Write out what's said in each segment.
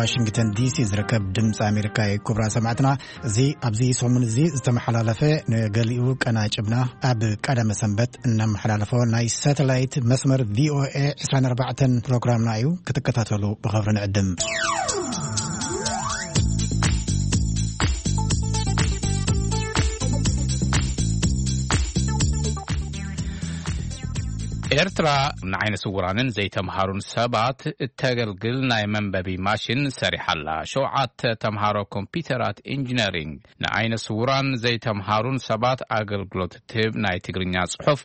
ዋሽንግተን ዲሲ ዝርከብ ድምፂ ኣሜሪካ እዩ። ክቡራት ሰማዕትና፣ እዚ ኣብዚ ሰሙን እዚ ዝተመሓላለፈ፣ ንገሊኡ ቀናጭብና ኣብ ቀዳመ ሰንበት እነመሓላለፎ ናይ ሳተላይት መስመር ቪኦኤ ዕስራን ኣርባዕተን ፕሮግራምና እዩ። ክትከታተሉ ብኽብሪ ንዕድም። ኤርትራ ንዓይነ ስውራንን ዘይተምሃሩን ሰባት እተገልግል ናይ መንበቢ ማሽን ሰሪሓ ኣላ። ሸውዓተ ተምሃሮ ኮምፒውተራት ኢንጂነሪንግ ንዓይነ ስውራን ዘይተምሃሩን ሰባት ኣገልግሎት እትህብ ናይ ትግርኛ ጽሑፍ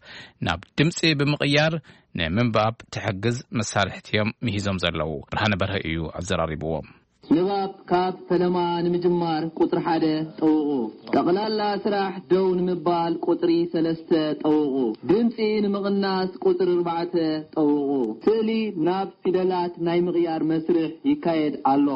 ናብ ድምጺ ብምቕያር ንምንባብ ትሕግዝ መሳርሕቲ እዮም ምሂዞም ዘለዉ። ብርሃነ በርሀ እዩ ኣዘራሪብዎም። ንባብ ካብ ፈለማ ንምጅማር ቁጽሪ ሓደ ጠውቑ። ጠቕላላ ስራሕ ደው ንምባል ቁጽሪ ሰለስተ ጠውቑ። ድምጺ ንምቕናስ ቁጽሪ ኣርባዕተ ጠውቑ። ስእሊ ናብ ፊደላት ናይ ምቕያር መስርሕ ይካየድ ኣሎ።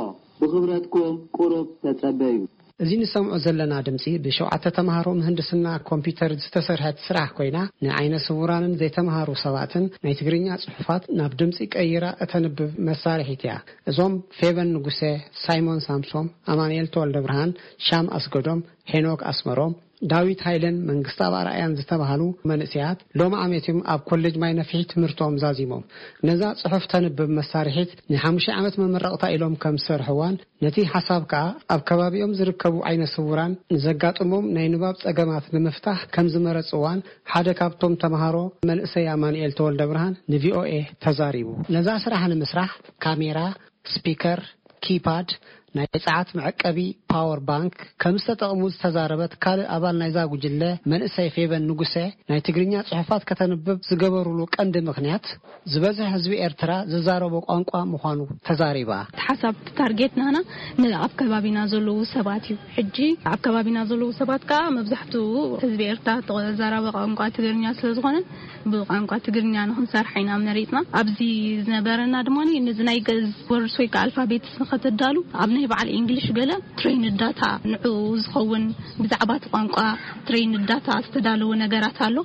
ብኽብረትኩም ቁሩብ ተጸበዩ። እዚ ንሰምዖ ዘለና ድምጺ ብሸውዓተ ተምሃሮ ምህንድስና ኮምፒውተር ዝተሰርሐት ስራሕ ኮይና፣ ንዓይነ ስውራንን ዘይተምሃሩ ሰባትን ናይ ትግርኛ ጽሑፋት ናብ ድምጺ ቀይራ እተንብብ መሳርሒት እያ። እዞም ፌቨን ንጉሰ፣ ሳይሞን ሳምሶም፣ ኣማኑኤል ተወልደ ብርሃን፣ ሻም ኣስገዶም፣ ሄኖክ ኣስመሮም፣ ዳዊት ሃይለን መንግስታብ ኣርኣያን ዝተባህሉ መንእሰያት ሎሚ ዓመት እዮም ኣብ ኮሌጅ ማይ ነፍሒ ትምህርቶም ዛዚሞም። ነዛ ጽሑፍ ተንብብ መሳርሒት ንሓሙሽተ ዓመት መመረቕታ ኢሎም ከም ዝሰርሕዋን፣ ነቲ ሓሳብ ከኣ ኣብ ከባቢኦም ዝርከቡ ዓይነ ስውራን ንዘጋጥሞም ናይ ንባብ ጸገማት ንምፍታሕ ከም ዝመረጽዋን ሓደ ካብቶም ተምሃሮ መንእሰይ ኣማኑኤል ተወልደ ብርሃን ንቪኦኤ ተዛሪቡ። ነዛ ስራሕ ንምስራሕ ካሜራ፣ ስፒከር፣ ኪፓድ፣ ናይ ጸዓት መዐቀቢ ፓወር ባንክ ከም ዝተጠቕሙ ዝተዛረበት ካልእ ኣባል ናይዛ ጉጅለ መንእሰይ ፌቨን ንጉሰ፣ ናይ ትግርኛ ጽሑፋት ከተንብብ ዝገበሩሉ ቀንዲ ምኽንያት ዝበዝሕ ህዝቢ ኤርትራ ዝዛረቦ ቋንቋ ምዃኑ ተዛሪባ። እቲ ሓሳብ፣ እቲ ታርጌት ናና ንኣብ ከባቢና ዘለዉ ሰባት እዩ። ሕጂ ኣብ ከባቢና ዘለዉ ሰባት ከኣ መብዛሕትኡ ህዝቢ ኤርትራ ተዛራቢ ቋንቋ ትግርኛ ስለ ዝኾነን ብቋንቋ ትግርኛ ንኽንሰርሕ ኢና መሪጽና። ኣብዚ ዝነበረና ድማ ነዚ ናይ ገዝ ወርድስ ወይ ከኣ ኣልፋቤትስ ንኸተዳሉ ኣብ ናይ በዓል እንግሊሽ ገለ ትሬይንድ ዳታ ንዕኡ ዝኸውን ብዛዕባ እቲ ቋንቋ ትሬይንድ ዳታ ዝተዳለወ ነገራት ኣሎ።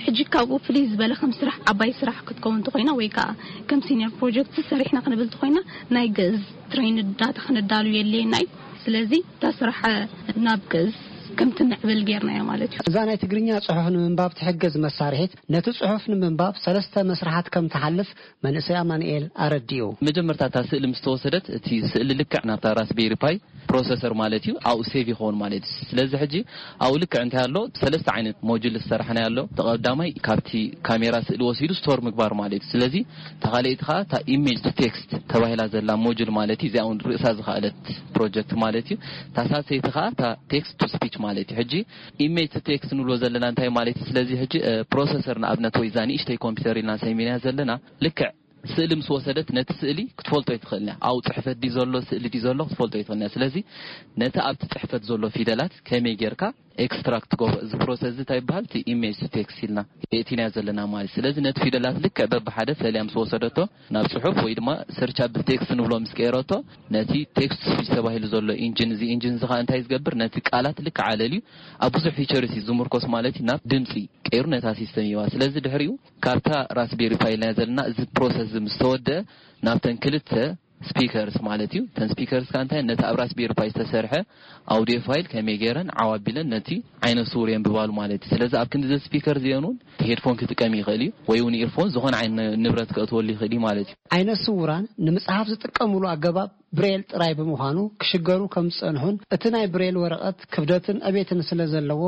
ሕጂ ካብኡ ፍልይ ዝበለ ከም ስራሕ ዓባይ ስራሕ ክትከውን እንተኾይና ወይ ከኣ ከም ሲኒየር ፕሮጀክት ሰሪሕና ክንብል እንተኾይና ናይ ገዝ ትሬይንድ ዳታ ክንዳሉ የድልየና እዩ። ስለዚ እታ ስራሕ ናብ ገዝ ከም ትምዕብል ጌርናዮ ማለት እዩ። እዛ ናይ ትግርኛ ጽሑፍ ንምንባብ ትሕግዝ መሳርሒት ነቲ ጽሑፍ ንምንባብ ሰለስተ መስርሓት ከም ትሓልፍ መንእሰይ ኣማኑኤል ኣረዲኡ። መጀመርታ እታ ስእሊ ምስ ተወሰደት እቲ ስእሊ ልክዕ ናብታ ራስቤሪ ፓይ ፕሮሰሰር ማለት እዩ ኣብኡ ሴቭ ይኸውን ማለት እዩ። ስለዚ ሕጂ ኣብኡ ልክዕ እንታይ ኣሎ፣ ሰለስተ ዓይነት ሞጁል ዝሰራሕናዮ ኣሎ። እቲ ቀዳማይ ካብቲ ካሜራ ስእሊ ወሲዱ ስቶር ምግባር ማለት እዩ። ስለዚ እታ ካልኣይቲ ኸዓ እታ ኢሜጅ ቱ ቴክስት ተባሂላ ዘላ ሞጁል ማለት እዩ። እዚኣ እውን ርእሳ ዝኸኣለት ፕሮጀክት ማለት እዩ። እታ ሳልሰይቲ ኸዓ እታ ቴክስት ቱ ስፒች ማለት እዩ። ሕጂ ኢሜጅ ቱ ቴክስት ንብሎ ዘለና እንታይ ማለት እዩ? ስለዚ ሕጂ እ፣ ፕሮሰሰር ንኣብነት ወይ እዛ ንእሽተይ ኮምፒውተር ኢልና ሰሚናያ ዘለና ልክዕ ስእሊ ምስ ወሰደት ነቲ ስእሊ ክትፈልጦ ኣይትኽእልን እያ። ኣብኡ ጽሕፈት ድዩ ዘሎ፣ ስእሊ ድዩ ዘሎ ክትፈልጦ ኣይትኽእልን እያ። ስለዚ ነቲ ኣብቲ ጽሕፈት ዘሎ ፊደላት ከመይ ጌርካ ኤክስትራክት ትገብሮ፣ እዚ ፕሮሰስ እዚ እንታይ ይበሃል? እቲ ኢሜጅ ቱ ቴክስት ኢልና የእቲናዮ ዘለና ማለት እዩ። ስለዚ ነቲ ፊደላት ልክዕ በብሓደ ፈሊያ ምስ ወሰደቶ ናብ ጽሑፍ ወይ ድማ ሰርች ኣብል ቴክስት ንብሎ ምስ ቀየረቶ ነቲ ቴክስት ስፒች ተባሂሉ ዘሎ ኢንጂን፣ እዚ ኢንጂን እዚ ኸዓ እንታይ ዝገብር? ነቲ ቃላት ልክዕ ኣለልዩ ኣብ ብዙሕ ፊቸርስ እዩ ዝምርኮስ ማለት እዩ። ናብ ድምጺ ቀይሩ ነታ ሲስተም ይዋ። ስለዚ ድሕሪኡ ካብታ ራስቤሪ ፓይ ኢልና ዘለና እዚ ፕሮሰስ እዚ ምስ ተወደአ ናብተን ክልተ ስፒከርስ ማለት እዩ። እተን ስፒከርስ ከኣ እንታይ ነቲ ኣብ ራስቤሪ ፓይ ዝተሰርሐ ኣውዲዮ ፋይል ከመይ ገይረን ዓው ኣቢለን ነቲ ዓይነ ስውር የንብባሉ ማለት እዩ። ስለዚ ኣብ ክንዲ እዚ ስፒከር እዚአን እውን ሄድፎን ክጥቀም ይኽእል እዩ ወይ እውን ኢርፎን ዝኾነ ዓይነት ንብረት ከእትወሉ ይኽእል እዩ ማለት እዩ። ዓይነ ስውራን ንምጽሓፍ ዝጥቀምሉ ኣገባብ ብሬል ጥራይ ብምዃኑ ክሽገሩ ከም ዝጸንሑን እቲ ናይ ብሬል ወረቐት ክብደትን ዕቤትን ስለ ዘለዎ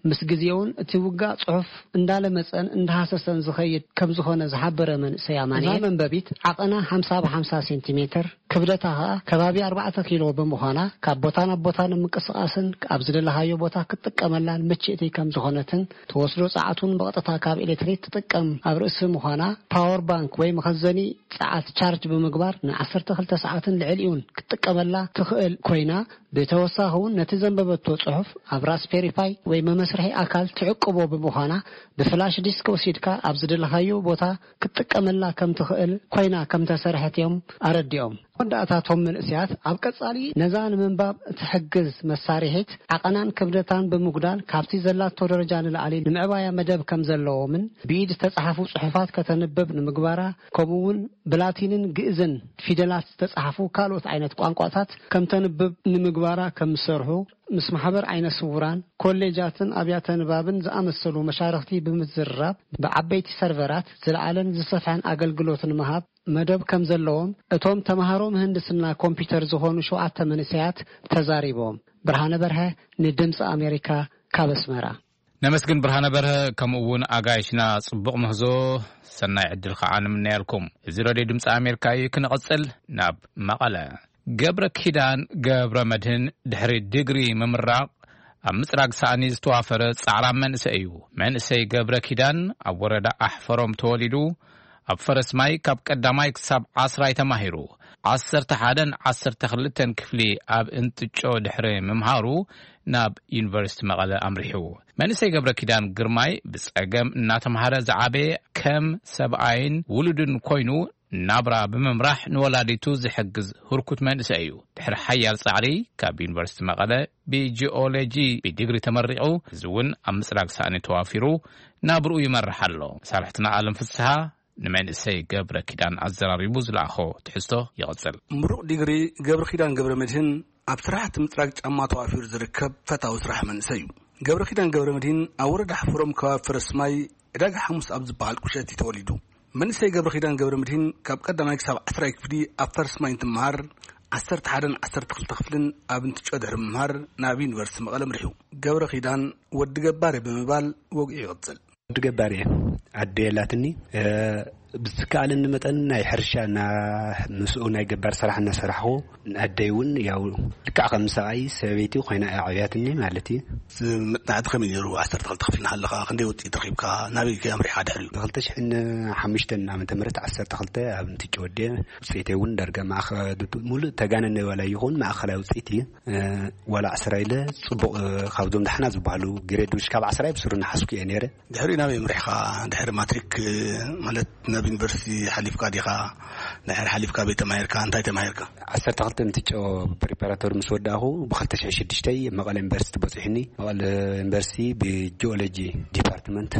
ምስ ግዜውን እቲ ውጋእ ጽሑፍ እንዳለመጸን እንዳሃሰሰን ዝኸይድ ከም ዝኾነ ዝሓበረ መንእሰይ ኣማኑኤል፣ እዛ መንበቢት ዓቐና ሓምሳ ብሓምሳ ሴንቲሜትር፣ ክብደታ ኸኣ ከባቢ ኣርባዕተ ኪሎ ብምዃና ካብ ቦታ ናብ ቦታ ንምንቅስቓስን ኣብ ዝደለኻዮ ቦታ ክትጥቀመላን ምችእቲ ከም ዝኾነትን ትወስዶ ጸዓት እውን ብቐጥታ ካብ ኤሌክትሪክ ትጥቀም ኣብ ርእሲ ምዃና ፓወር ባንክ ወይ መኸዘኒ ጸዓት ቻርጅ ብምግባር ን ዓሰርተ ክልተ ሰዓትን ልዕሊኡን ክትጥቀመላ ትኽእል ኮይና፣ ብተወሳኺ እውን ነቲ ዘንበበቶ ጽሑፍ ኣብ ራስፔሪ ፓይ ወይ መመስርሒ ኣካል ትዕቅቦ ብምዃና፣ ብፍላሽ ዲስክ ወሲድካ ኣብ ዝደለኻዮ ቦታ ክትጥቀመላ ከም ትኽእል ኮይና ከም ተሰርሐት እዮም ኣረዲኦም። መወዳእታቶም መንእሰያት ኣብ ቀጻሊ ነዛ ንምንባብ እትሕግዝ መሳርሒት ዓቐናን ክብደታን ብምጉዳል ካብቲ ዘላቶ ደረጃ ንላዕሊ ንምዕባያ መደብ ከም ዘለዎምን ብኢድ ዝተጻሕፉ ጽሑፋት ከተንብብ ንምግባራ ከምኡ እውን ብላቲንን ግእዝን ፊደላት ዝተጻሕፉ ካልኦት ዓይነት ቋንቋታት ከም ተንብብ ንምግባራ ከም ዝሰርሑ ምስ ማሕበር ዓይነ ስውራን ኮሌጃትን ኣብያተ ንባብን ዝኣመሰሉ መሻርኽቲ ብምዝርራብ ብዓበይቲ ሰርቨራት ዝለዓለን ዝሰፍሐን ኣገልግሎት ንምሃብ መደብ ከም ዘለዎም እቶም ተምሃሮ ምህንድስና ኮምፒውተር ዝኾኑ ሸውዓተ መንእሰያት ተዛሪቦም። ብርሃነ በርሀ ንድምፂ ኣሜሪካ ካብ ኣስመራ። ነመስግን ብርሃነ በርሀ፣ ከምኡ እውን ኣጋይሽና ጽቡቕ ምህዞ፣ ሰናይ ዕድል ከዓ ንምነየልኩም። እዚ ሬድዮ ድምፂ ኣሜሪካ እዩ። ክንቕጽል ናብ መቐለ። ገብረ ኪዳን ገብረ መድህን ድሕሪ ዲግሪ ምምራቕ ኣብ ምጽራግ ሳእኒ ዝተዋፈረ ጻዕራም መንእሰይ እዩ። መንእሰይ ገብረ ኪዳን ኣብ ወረዳ ኣሕፈሮም ተወሊዱ ኣብ ፈረስ ማይ ካብ ቀዳማይ ክሳብ ዓስራይ ተማሂሩ፣ ዓሰርተ ሓደን ዓሰርተ ክልተን ክፍሊ ኣብ እንትጮ ድሕሪ ምምሃሩ ናብ ዩኒቨርሲቲ መቐለ ኣምሪሑ። መንእሰይ ገብረ ኪዳን ግርማይ ብጸገም እናተምሃረ ዝዓበየ ከም ሰብኣይን ውሉድን ኮይኑ ናብራ ብምምራሕ ንወላዲቱ ዝሕግዝ ህርኩት መንእሰይ እዩ። ድሕሪ ሓያል ጻዕሪ ካብ ዩኒቨርሲቲ መቐለ ብጂኦሎጂ ብዲግሪ ተመሪቑ፣ እዚ እውን ኣብ ምጽራግ ሳእኒ ተዋፊሩ ናብርኡ ይመርሕ ኣሎ። መሳርሕትና ኣለም ፍስሃ ንመንእሰይ ገብረ ኪዳን ኣዘራሪቡ ዝለኣኾ ትሕዝቶ ይቕጽል። ምሩቕ ዲግሪ ገብረ ኪዳን ገብረ መድህን ኣብ ስራሕቲ ምጽራግ ጫማ ተዋፊሩ ዝርከብ ፈታዊ ስራሕ መንእሰይ እዩ። ገብረ ኪዳን ገብረ መድህን ኣብ ወረዳ ሓፈሮም ከባቢ ፈረስ ማይ ዕዳጋ ሓሙስ ኣብ ዝበሃል ቁሸት እዩ ተወሊዱ። መንእሰይ ገብረ ኪዳን ገብረ መድህን ካብ ቀዳማይ ክሳብ ዓስራይ ክፍሊ ኣብ ፈረስ ማይ እንትመሃር፣ ዓሰርተ ሓደን ዓሰርተ ክልተ ክፍልን ኣብ እንትጮ ድሕሪ ምምሃር ናብ ዩኒቨርሲቲ መቐለ ኣምሪሑ። ገብረ ኪዳን ወዲ ገባር እየ ብምባል ወግዒ ይቕጽል። ወዲ ገባር እየ። ኣደ የላትኒ። እ፣ ብዝከኣለኒ መጠን ናይ ሕርሻ እና ምስኡ ናይ ገባር ስራሕ እናሰራሕኹ፣ ኣደይ እውን ያው ልክዕ ከም ሰብኣይ ሰበይቲ ኮይና እያ ዓብያትኒ ማለት እዩ። መጽናዕቲ ከመይ ነይሩ? ዓሰርተ ክልተ ክፍሊ እናሃለኻ ክንደይ ውጽኢት ረኺብካ? ናበይ ከ ኣምሪሕካ ድሕሪኡ? ክልተ ሽሕን ሓሙሽተን ዓመተ ምህረት ዓሰርተ ክልተ ኣብ እንትጭ ወዲአ ውጽኢተይ እውን ዳርጋ ማእኸ-፣ ሙሉእ ተጋነነ ዋላ ይኹን ማእኸላይ ውጽኢት እዩ። እ፣ ዋላ ዓስራ ኢለ ጽቡቕ፣ እ፣ ካብዞም ዳሕና ዝበሃሉ ግሬድ ውሽ ካብ ዓስራ ብስሩ እናሓዝኩ እየ ነይረ። ድሕሪ ናበይ ኣምሪሕካ? ድሕሪ ማትሪክ፣ እ፣ ማለት ናብ ዩኒቨርሲቲ ሓሊፍካ ዲኻ? ድሕሪ ሓሊፍካ ቤት ተማሂርካ? እንታይ ተማሂርካ? ዓሰርተ ክልተ እንትጨ ፕሪፓራቶሪ ምስ ወዳእኹ ብክልተ ሽሕን ሽዱሽተን መቐለ ዩኒቨርሲቲ በፂሑኒ። መቐለ ዩኒቨርሲቲ ብጂኦሎጂ ዲፓርትመንት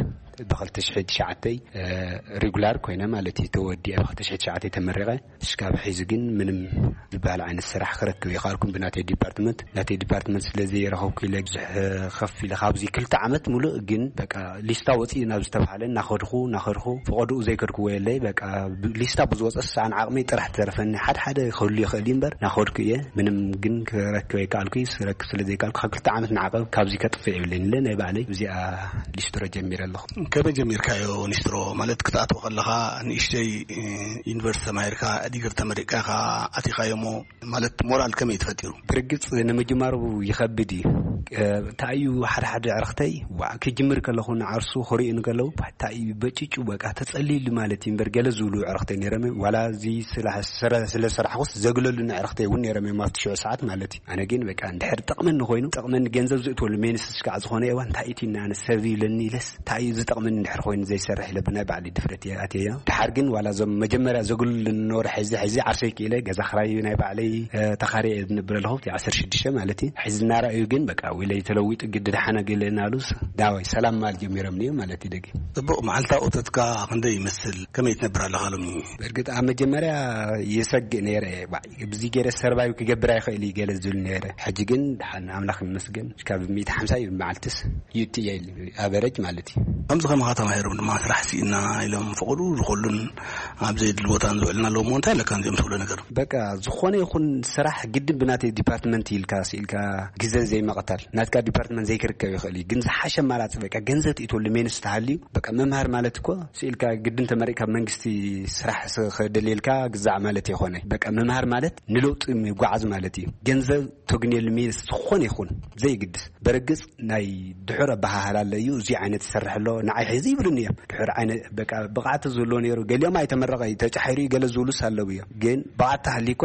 ብክልተ ሽሕን ትሽዓተን፣ እ፣ ሪጉላር ኮይነ ማለት እዩ ተወዲአ ብክልተ ሽሕን ትሽዓተን ተመሪቐ። እስካብ ሕዚ ግን ምንም ዝበሃል ዓይነት ስራሕ ክረክብ ይኸኣልኩም ብናተይ ዲፓርትመንት። ናተይ ዲፓርትመንት ስለ ዘይረኸብኩ ኢለ ብዙሕ ከፍ ኢለ ካብዚ ክልተ ዓመት ሙሉእ ግን በቃ ሊስታ ወፂኡ ናብ ዝተባሃለ እናኸድኹ፣ እናኸድኹ፣ ፈቐድኡ ዘይከድኩዎ የለይ። በቃ ብ-፣ ሊስታ ብዝወፀ ሰዓን ዓቕመይ ጥራሕ ትተርፈኒ። ሓደ ሓደ ክህሉ ይኽእል እዩ እምበር እናኸድኩ እየ። ምንም ግን ክረክብ ኣይከኣልኩ። ክረክብ ስለ ዘይከኣልኩ ካብ ክልተ ዓመት ንዓቐብ ካብዚ ከጥፍእ የብለይን ኢለ ናይ ባዕለይ እዚኣ ሊስትሮ ጀሚረ ኣለኹ። ከመይ ጀሚርካዮ ኒስትሮ? ማለት ክትኣትዎ ከለኻ ንእሽተይ፣ እ፣ ዩኒቨርሲቲ ተማሂርካ ዲግሪ ተመሪቅካ ኢኻ ኣቲኻዮ እሞ ማለት ሞራል ከመይ ተፈጢሩ? ብርግጽ ንምጅማሩ ይኸብድ እዩ። እ፣ እንታይ እዩ ሓደ ሓደ ዕረኽተይ ዋዕ ክጅምር ከለኹ ንዓርሱ ክርእዩ ንከለዉ እንታይ እዩ በጭጩ በቃ ተጸሊሉ ማለት እዩ እምበር ገለ ዝብሉ ዕረኽተይ ነይሮም እዮም። ዋላ እዚ ስራሕ ስረ-፣ ስለ ሰራሕኩስ ዘግለሉኒ ዕረኽተይ እውን ነይሮም እዮም ኣብቲ ሽዑ ሰዓት ማለት እዩ። ኣነ ግን በቃ እንድሕር ጠቕመኒ ኮይኑ፣ ጠቕመኒ ገንዘብ ዝእትወሉ ሜንስ እስካዕ ዝኾነ እዋን እንታይ እዩ እቲ ኣነ ሰብ ይብለኒ ኢለስ እንታይ እዩ ዝጠቕመኒ እንድሕር ኮይኑ ዘይሰርሕ ኢለ ብናይ ባዕለይ ድፍረት እየ ኣትየዮ። ድሓር ግን ዋላ እዞም መጀመርያ ዘግልሉ ነበሩ ሕዚ፣ ሕዚ ዓርሰይ ክኢለ ገዛ ክራይ ናይ ባዕለይ፣ እ፣ ተኻርየ እየ ዝነብር ኣለኹ። እቲ ዓሰርተ ሽዱሽተ ማለት እዩ። ሕዚ እናረኣዩ ግን በቃ ውለይ ተለዊጡ ግዲ ደሓነ ገለ እናሉስ ዳዋይ ሰላም ማል ጀሚሮም እዮም ማለት እዩ። ደጊ ጽቡቕ፣ መዓልታዊ እቶትካ ክንደይ ይመስል? ከመይ ትነብር ኣለኻ ሎሚ? በእርግጥ ኣብ መጀመርያ ይሰግእ ነይረ። ባ-፣ ብዚ ገይረ ሰርቫይቭ ክገብር ኣይኽእል እዩ ገለ ዝብል ነይረ። ሕጂ ግን ደሓን ኣምላኽ ይመስገን፣ ካብ ሚእቲ ሓምሳ እዩ መዓልትስ ይእቲ እየ ኢሉ፣ ኣቨረጅ ማለት እዩ። ከምዚ ከማኻ ተማሂሮም ድማ ስራሕ ስኢና ኢሎም ፈቐዱ ዝኾሉን ኣብ ዘየድሊ ቦታ ዝውዕልና ኣለዉ እሞ እንታይ ኣለካ ነዚኦም ትብሎ ነገር? በቃ ዝኾነ ይኹን ስራሕ ግድን ብናተይ ዲፓርትመንት ኢልካ ስኢልካ ግዘ ዘይመቐታል። ናትካ ዲፓርትመንት ዘይክርከብ ይኽእል እዩ፣ ግን ዝሓሸ ኣማራፂ በቃ ገንዘብ ትእትወሉ ሜንስ ተሃልዩ በቃ ምምሃር ማለት እኮ ስኢልካ ግድን ተመሪቕካ መንግስቲ ስራሕ ስ-፣ ክደልየልካ ግዛዕ ማለት ይኾነ። በቃ ምምሃር ማለት ንለውጢ ምጓዓዝ ማለት እዩ። ገንዘብ ተግንየሉ ሜንስ ዝኾነ ይኹን ዘይግድስ። በርግጽ ናይ ድሑር ኣበሃህላ ኣሎ እዩ፣ እዚ ዓይነት ይሰርሕ ኣሎ፣ ንዓይ ሕዚ ይብሉኒ እዮም። ድሑር ዓይነት በቃ ብቕዓት ዝህልዎ ነይሩ፣ ገሊኦም ኣይተመረቐ እዩ፣ ተጫሒሩ እዩ፣ ገለ ዝብሉስ ኣለዉ እዮም። ግን ብቕዓት ተሃልዩኳ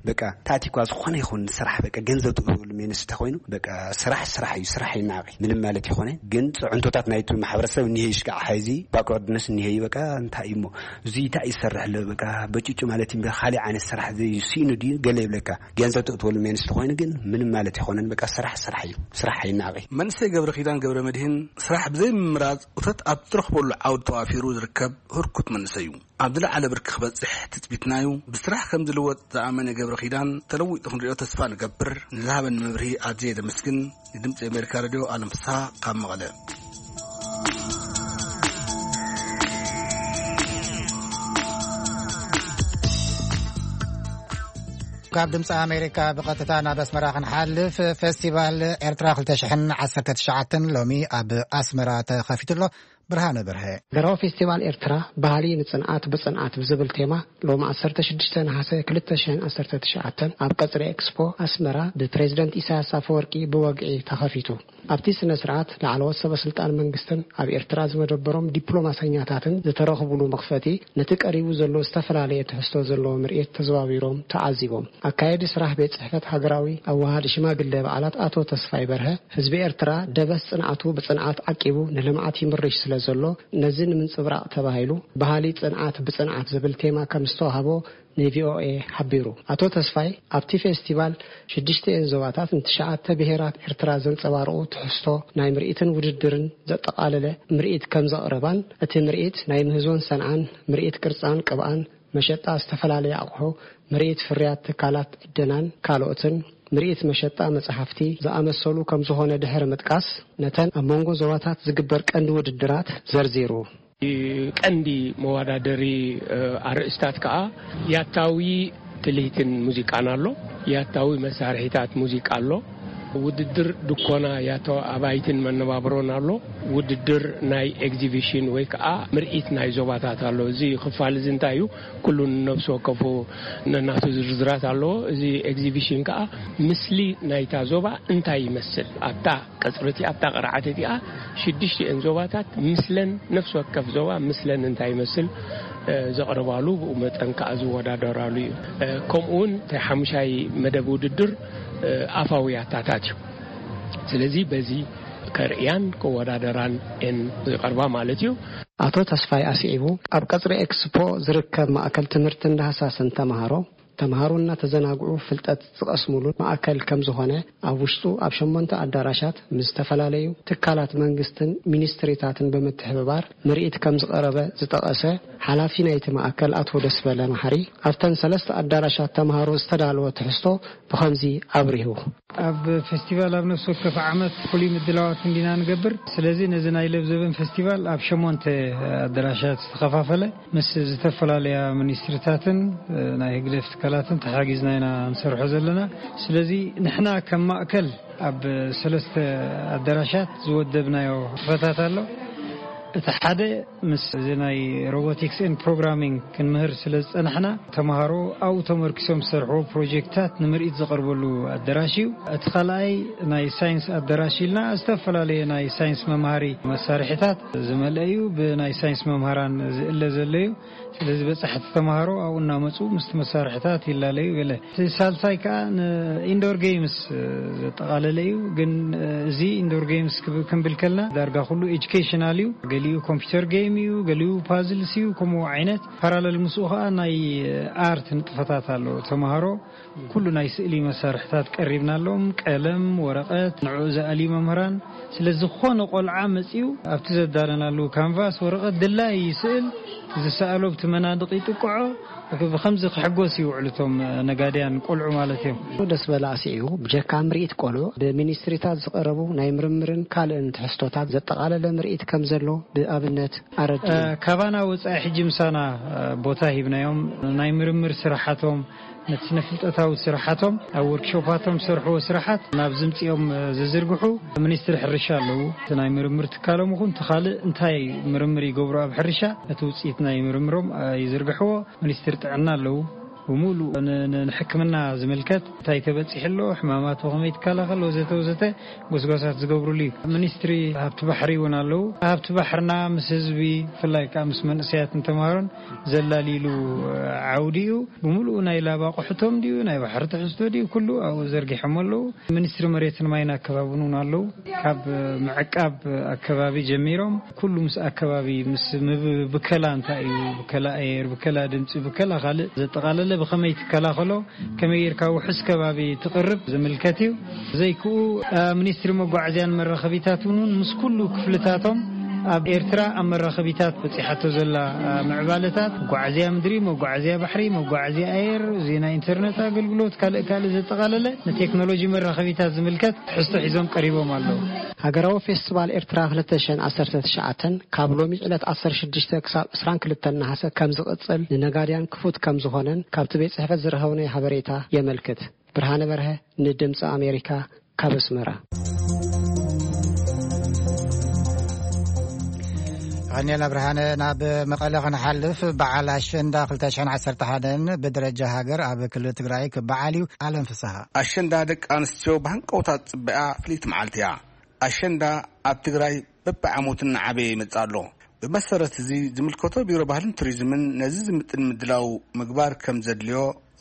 በቃ ታቲኳ ዝኾነ ይኹን ስራሕ በቃ ገንዘብ ትእትወሉ ሜንስ ተኾይኑ በቃ ስራሕ ስራሕ እዩ። ስራሕ ይናቂ ምንም ማለት ይኾነ። ግን ፅዕንቶታት ናይቲ ማሕበረሰብ እኒሄ ይሽካዕ ሓይዚ ባክወርድነስ እኒሄ እዩ። በቃ እንታይ እዩ እሞ እዚ እንታይ ይሰርሕ ኣሎ በቃ በጭጩ ማለት እዩ። ካሊእ ዓይነት ስራሕ ዘይስኢኑ ድዩ ገለ ይብለካ። ገንዘብ ትእትወሉ ሜንስ ተኾይኑ ግን ምንም ማለት ይኾነን። በቃ ስራሕ ስራሕ እዩ። ስራሕ ይናቂ። መንእሰይ ገብረ ኪዳን ገብረ መድህን ስራሕ ብዘይምምራፅ እቶት ኣብ ትረኽበሉ ዓውዲ ተዋፊሩ ዝርከብ ህርኩት መንእሰይ እዩ። ኣብ ዝለዓለ ብርኪ ክበፅሕ ትፅቢትናዩ። ብስራሕ ከም ዝልወጥ ዝኣመነ ገብረ ኪዳን ተለዊጡ ክንሪኦ ተስፋ ንገብር። ንዝሃበኒ መብርሂ ኣዝየ ዘመስግን። ንድምፂ ኣሜሪካ ሬድዮ ኣለም ፍስሃ ካብ መቐለ። ካብ ድምፂ ኣሜሪካ ብቐጥታ ናብ ኣስመራ ክንሓልፍ፣ ፌስቲቫል ኤርትራ ክልተ ሽሕን ዓሰርተ ትሽዓተን ሎሚ ኣብ ኣስመራ ተኸፊቱ ኣሎ። ብርሃነ በርሀ። ብራው ፌስቲቫል ኤርትራ ባህሊ ንጽንዓት ብጽንዓት ብዝብል ቴማ ሎም ዓሰርተ ሽዱሽተ ነሓሰ ክልተ ሽሕን ዓሰርተ ትሽዓተን ኣብ ቀጽሪ ኤክስፖ ኣስመራ ብፕሬዝደንት ኢሳያስ ኣፈወርቂ ብወግዒ ተኸፊቱ። ኣብቲ ስነ ስርዓት ላዕለዎት ሰበ ስልጣን መንግስትን ኣብ ኤርትራ ዝመደበሮም ዲፕሎማሰኛታትን ዝተረኽቡሉ መኽፈቲ ነቲ ቀሪቡ ዘሎ ዝተፈላለየ ትሕዝቶ ዘለዎ ምርኢት ተዘዋዊሮም ተዓዚቦም። ኣካየዲ ስራሕ ቤት ጽሕፈት ሃገራዊ ኣወሃሃዲ ሽማግለ በዓላት ኣቶ ተስፋይ በርሀ፣ ህዝቢ ኤርትራ ደበስ ጽንዓቱ ብጽንዓት ዓቂቡ ንልምዓት ይምርሽ ስለ ዘሎ፣ ነዚ ንምንጽብራቕ ተባሂሉ ባህሊ ጽንዓት ብጽንዓት ዝብል ቴማ ከም ዝተዋህቦ ን ቪ ኦ ኤ ሓቢሩ። ኣቶ ተስፋይ ኣብቲ ፌስቲቫል ሽዱሽተ እየን ዞባታት ንትሽዓተ ብሄራት ኤርትራ ዘንጸባርቑ ትሕዝቶ ናይ ምርኢትን ውድድርን ዘጠቓለለ ምርኢት ከም ዘቕረባን እቲ ምርኢት ናይ ምህዞን ሰንዓን ምርኢት ቅርጻን ቅብኣን መሸጣ ዝተፈላለዩ ኣቑሑ፣ ምርኢት ፍርያት ትካላት ዕደናን ካልኦትን፣ ምርኢት መሸጣ መጻሕፍቲ ዝኣመሰሉ ከም ዝኾነ ድሕሪ ምጥቃስ፣ ነተን ኣብ መንጎ ዞባታት ዝግበር ቀንዲ ውድድራት ዘርዚሩ። ቀንዲ መወዳደሪ ኣርእስታት ከኣ ያታዊ ትልሂትን ሙዚቃን ኣሎ። ያታዊ መሳርሒታት ሙዚቃ ኣሎ። ውድድር ድኮና ያታዊ ኣባይትን መነባብሮን ኣሎ። ውድድር ናይ ኤግዚቢሽን ወይ ከኣ ምርኢት ናይ ዞባታት ኣሎ። እዚ ክፋል እዚ እንታይ እዩ? ኩሉ ነብሲ ወከፉ ነናቱ ዝርዝራት ኣለዎ። እዚ ኤግዚቢሽን ከኣ ምስሊ ናይታ ዞባ እንታይ ይመስል ኣብታ ቀጽሪ እቲ ኣብታ ቅርዓት እቲኣ ሽዱሽቲኤን ዞባታት ምስለን ነፍሲ ወከፍ ዞባ ምስለን እንታይ ይመስል ዘቕርባሉ ብኡ መጠን ከኣ ዝወዳደራሉ እዩ። ከምኡ እውን እቲ ሓሙሻይ መደብ ውድድር ኣፋዊ ያታታት እዩ። ስለዚ በዚ ከርእያን ከወዳደራን እየን ዝቐርባ ማለት እዩ። ኣቶ ተስፋይ ኣስዒቡ ኣብ ቀጽሪ ኤክስፖ ዝርከብ ማእከል ትምህርትን ዳህሳስን ተምሃሮ ተምሃሮ እናተዘናግዑ ፍልጠት ዝቐስሙሉ ማእከል ከም ዝኾነ ኣብ ውሽጡ ኣብ ሸሞንተ ኣዳራሻት ምስ ዝተፈላለዩ ትካላት መንግስትን ሚኒስትሪታትን ብምትሕብባር ምርኢት ከም ዝቐረበ ዝጠቐሰ ሓላፊ ናይቲ ማእከል ኣቶ ደስበለ መሓሪ ኣብተን ሰለስተ ኣዳራሻት ተምሃሮ ዝተዳለወ ትሕዝቶ ብኸምዚ ኣብሪሁ። ኣብ ፌስቲቫል ኣብ ነፍሲ ወከፍ ዓመት ፍሉይ ምድላዋት እንዲና ንገብር። ስለዚ ነዚ ናይ ለብዘበን ፌስቲቫል ኣብ ሸሞንተ ኣዳራሻት ዝተኸፋፈለ ምስ ዝተፈላለያ ሚኒስትሪታትን ናይ ህግደፍ ትካላትን ተሓጊዝና ኢና ንሰርሖ ዘለና። ስለዚ ንሕና ከም ማእከል ኣብ ሰለስተ ኣዳራሻት ዝወደብናዮ ክፈታት ኣሎ። እቲ ሓደ ምስ እዚ ናይ ሮቦቲክስ ኤንድ ፕሮግራሚንግ ክንምህር ስለ ዝጸናሕና ተምሃሮ ኣብኡ ተመርኪሶም ዝሰርሕዎ ፕሮጀክትታት ንምርኢት ዝቐርበሉ ኣዳራሽ እዩ። እቲ ካልኣይ ናይ ሳይንስ ኣዳራሽ ኢልና ዝተፈላለየ ናይ ሳይንስ መምሃሪ መሳርሒታት ዝመልአ እዩ። ብናይ ሳይንስ መምሃራን ዝእለ ዘሎ እዩ። ስለዚ በጻሕቲ ተምሃሮ ኣብኡ እናመጹ ምስቲ መሳርሒታት ይላለዩ ገለ። እቲ ሳልሳይ ከኣ ንኢንዶር ጌምስ ዘጠቓለለ እዩ። ግን እዚ ኢንዶር ጌምስ ክብ-፣ ክንብል ከልና ዳርጋ ኩሉ ኤጁኬሽናል እዩ። ገሊኡ ኮምፒውተር ጌም እዩ፣ ገሊኡ ፓዝልስ እዩ። ከምኡ ዓይነት ፓራለል ምስኡ ከኣ ናይ ኣርት ንጥፈታት ኣሎ። ተምሃሮ ኩሉ ናይ ስእሊ መሳርሕታት ቀሪብናሎም፣ ቀለም፣ ወረቐት፣ ንዕኡ ዝኣልዩ መምህራን። ስለ ዝኾነ ቆልዓ መጺኡ ኣብቲ ዘዳለናሉ ካንቫስ ወረቐት ድላይ ይስእል፣ ዝሰኣሎ ብቲ መናድቕ ይጥቅዖ። ብኸምዚ ክሕጎስ ይውዕሉ እቶም ነጋድያን ቆልዑ ማለት እዮም። ደስ በላ ኣስዒቡ፣ ብጀካ ምርኢት ቆልዑ፣ ብሚኒስትሪታት ዝቐረቡ ናይ ምርምርን ካልእን ትሕዝቶታት ዘጠቓለለ ምርኢት ከም ዘሎ ብኣብነት ኣረዲኡ። እ፣ ካባና ወጻኢ ሕጂ ምሳና፣ እ፣ ቦታ ሂብናዮም። ናይ ምርምር ስራሓቶም፣ ነቲ ስነ ፍልጠታዊ ስራሓቶም፣ ኣብ ወርክሾፓቶም ዝሰርሕዎ ስራሓት ናብ ዝምጽኦም፣ እ፣ ዝዝርግሑ ሚኒስትሪ ሕርሻ ኣለዉ። እቲ ናይ ምርምር ትካሎም ይኹን እቲ ካልእ እንታይ ምርምር ይገብሩ ኣብ ሕርሻ፣ ነቲ ውጽኢት ናይ ምርምሮም፣ እ፣ ይዝርግሕዎ። ሚኒስትሪ ጥዕና ኣለዉ። ብሙሉእ ን- ን- ንሕክምና ዝምልከት እንታይ ተበፂሑ ኣሎ፣ ሕማማት ብኸመይ ትከላኸል፣ ወዘተ ወዘተ ጎስጓሳት ዝገብሩሉ እዩ። ሚኒስትሪ ሃብቲ ባሕሪ እውን ኣለዉ። ሃብቲ ባሕርና ምስ ህዝቢ፣ ብፍላይ ከዓ ምስ መንእሰያትን ተምሃሮን ዘላሊሉ ዓውዲ እዩ። ብሙሉኡ ናይ ላብ ኣቑሑቶም ድዩ፣ ናይ ባሕሪ ትሕዝቶ ድዩ፣ ኩሉ ኣብኡ ዘርጊሖም ኣለዉ። ሚኒስትሪ መሬትን ማይን ኣከባብን እውን ኣለዉ። ካብ ምዕቃብ ኣከባቢ ጀሚሮም ኩሉ ምስ ኣከባቢ፣ ምስ ምብ- ብከላ እንታይ እዩ፣ ብከላ ኣየር፣ ብከላ ድምፂ፣ ብከላ ካልእ ዘጠቓለለ፣ ብኸመይ ትከላኸሎ፣ ከመይ ጌርካ ውሑስ ከባቢ ትቕርብ ዝምልከት እዩ። ዘይክኡ ሚኒስትሪ መጓዓዝያን መራኸቢታት እውን ምስ ኩሉ ክፍልታቶም ኣብ ኤርትራ ኣብ መራኸቢታት በፂሓቶ ዘላ ምዕባለታት፣ መጓዓዝያ ምድሪ፣ መጓዓዝያ ባሕሪ፣ መጓዓዝያ ኣየር፣ ዜና፣ ኢንተርነት ኣገልግሎት፣ ካልእ ካልእ ዘጠቓለለ ንቴክኖሎጂ መራኸቢታት ዝምልከት ትሕዝቶ ሒዞም ቀሪቦም ኣለዉ። ሃገራዊ ፌስቲቫል ኤርትራ ክልተ ሽሕን ዓሰርተ ትሽዓተን ካብ ሎሚ ዕለት ዓሰርተ ሽዱሽተ ክሳብ ዕስራን ክልተን ነሓሰ ከም ዝቕጽል፣ ንነጋድያን ክፉት ከም ዝኾነን ካብቲ ቤት ጽሕፈት ዝረኸብናዮ ሓበሬታ የመልክት። ብርሃነ በርሀ ንድምጺ ኣሜሪካ ካብ ኣስመራ። ቀኒኤል ኣብርሃነ። ናብ መቐለ ክንሓልፍ፣ በዓል ኣሸንዳ ክልተ ሽሕን ዓሰርተ ሓደን ብደረጃ ሃገር ኣብ ክልል ትግራይ ክበዓል እዩ። ኣለም ፍስሃ። ኣሸንዳ ደቂ ኣንስትዮ ብሃንቀውታ ዝጽበያ ፍልይቲ መዓልቲ እያ። ኣሸንዳ ኣብ ትግራይ በብዓመቱ እናዓበየ ይመጽእ ኣሎ። ብመሰረት እዚ ዝምልከቶ ቢሮ ባህልን ቱሪዝምን ነዚ ዝምጥን ምድላው ምግባር ከም ዘድልዮ